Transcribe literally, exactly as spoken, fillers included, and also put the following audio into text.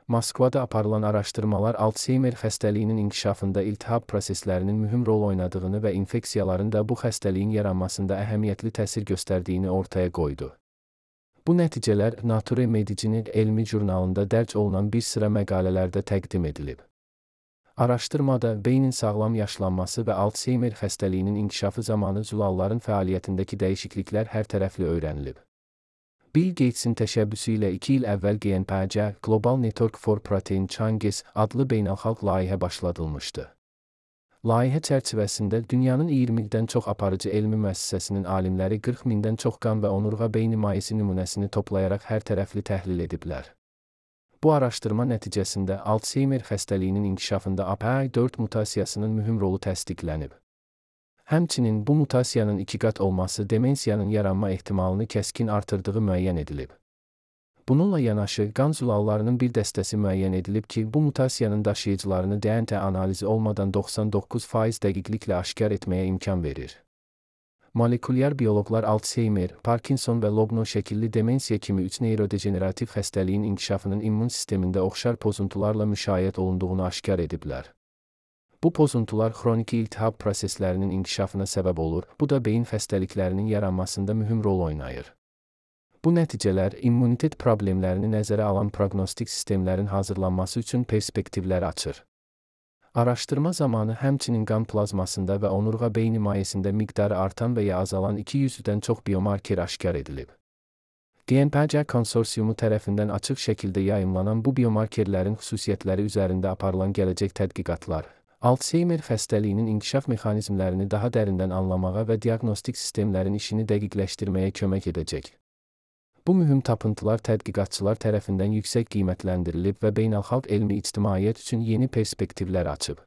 Moskvada aparılan araşdırmalar Altseymer xəstəliyinin inkişafında iltihab proseslərinin mühüm rol oynadığını və infeksiyaların da bu xəstəliyin yaranmasında əhəmiyyətli təsir göstərdiyini ortaya qoydu. Bu nəticələr Nature Medicine'in elmi jurnalında dərc olunan bir sıra məqalələrdə təqdim edilib. Araşdırmada beynin sağlam yaşlanması və Altseymer xəstəliyinin inkişafı zamanı zulalların fəaliyyətindəki dəyişikliklər hərtərəfli öyrənilib. Bill Gates'in təşəbbüsü ilə iki il əvvəl G N P C Global Network for Protein Changes adlı beynəlxalq layihə başladılmışdı. Layihə çərçivəsində dünyanın iyirmidən çox aparıcı elmi müəssisəsinin alimləri qırx mindən çox qan və onurğa beyni mayesi nümunəsini toplayaraq hərtərəfli təhlil ediblər. Bu araşdırma nəticəsində Altseymer xəstəliyinin inkişafında A P I dörd mutasiyasının mühüm rolu təsdiqlənib. Həmçinin bu mutasiyanın iki qat olması demensiyanın yaranma ehtimalını kəskin artırdığı müəyyən edilib. Bununla yanaşı, qan zulallarının bir dəstəsi müəyyən edilib ki, bu mutasiyanın daşıyıcılarını D N A analizi olmadan doxsan doqquz faiz dəqiqliklə aşkar etməyə imkan verir. Molekulyar bioloqlar Altseymer, Parkinson və Lobno şəkilli demensiya kimi üç neyrodejenerativ xəstəliyin inkişafının immun sistemində oxşar pozuntularla müşayiət olunduğunu aşkar ediblər. Bu pozuntular xroniki iltihab proseslərinin inkişafına səbəb olur, bu da beyin xəstəliklərinin yaranmasında mühüm rol oynayır. Bu nəticələr immunitet problemlərini nəzərə alan proqnostik sistemlərin hazırlanması üçün perspektivlər açır. Araşdırma zamanı həmçinin qan plazmasında və onurğa beyni mayesində miqdarı artan və ya azalan iki yüzdən çox biomarker aşkar edilib. G N P C konsorsiumu tərəfindən açıq şəkildə yayımlanan bu biomarkerlərin xüsusiyyətləri üzərində aparılan gələcək tədqiqatlar, Altseymer xəstəliyinin inkişaf mexanizmlərini daha dərindən anlamağa və diaqnostik sistemlərin işini dəqiqləşdirməyə kömək edəcək. Bu mühüm tapıntılar tədqiqatçılar tərəfindən yüksək qiymətləndirilib və beynəlxalq elmi ictimaiyyət üçün yeni perspektivlər açıb.